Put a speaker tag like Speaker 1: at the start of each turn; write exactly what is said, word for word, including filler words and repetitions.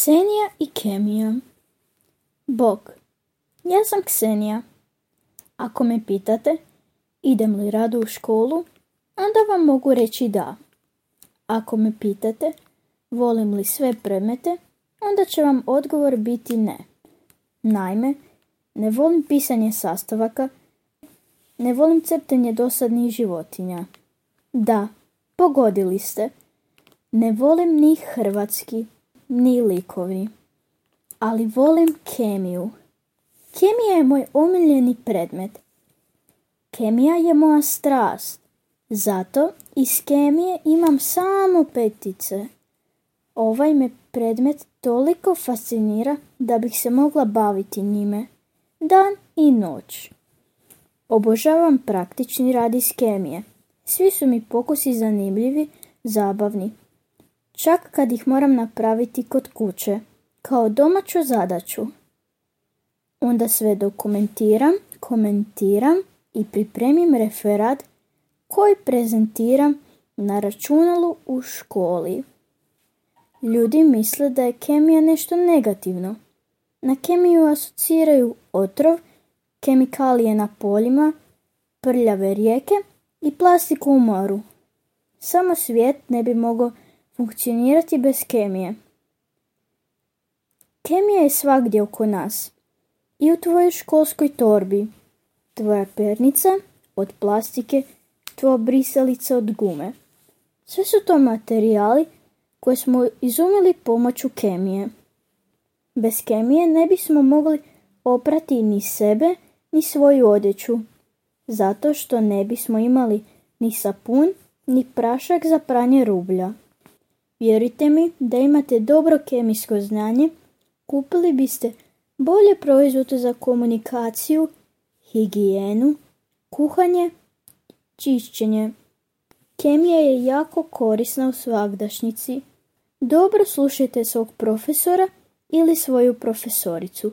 Speaker 1: Ksenija i kemija. Bog, ja sam Ksenija. Ako me pitate idem li rado u školu, onda vam mogu reći da. Ako me pitate volim li sve predmete, onda će vam odgovor biti ne. Naime, ne volim pisanje sastavaka, ne volim crtanje dosadnih životinja. Da, pogodili ste. Ne volim ni hrvatski, ni likovni. Ali volim kemiju. Kemija je moj omiljeni predmet. Kemija je moja strast. Zato iz kemije imam samo petice. Ovaj me predmet toliko fascinira da bih se mogla baviti njime dan i noć. Obožavam praktični rad iz kemije. Svi su mi pokusi zanimljivi, zabavni. Čak kad ih moram napraviti kod kuće, kao domaću zadaću. Onda sve dokumentiram, komentiram i pripremim referat koji prezentiram na računalu u školi. Ljudi misle da je kemija nešto negativno. Na kemiju asociraju otrov, kemikalije na poljima, prljave rijeke i plastiku u moru. Samo svijet ne bi mogao funkcionirati bez kemije. Kemija je svagdje oko nas. I u tvojoj školskoj torbi. Tvoja pernica od plastike, tvoja brisalica od gume. Sve su to materijali koje smo izumili pomoću kemije. Bez kemije ne bismo mogli oprati ni sebe, ni svoju odjeću. Zato što ne bismo imali ni sapun, ni prašak za pranje rublja. Vjerujte mi da imate dobro kemijsko znanje, kupili biste bolje proizvode za komunikaciju, higijenu, kuhanje, čišćenje. Kemija je jako korisna u svagdašnjici. Dobro slušajte svog profesora ili svoju profesoricu.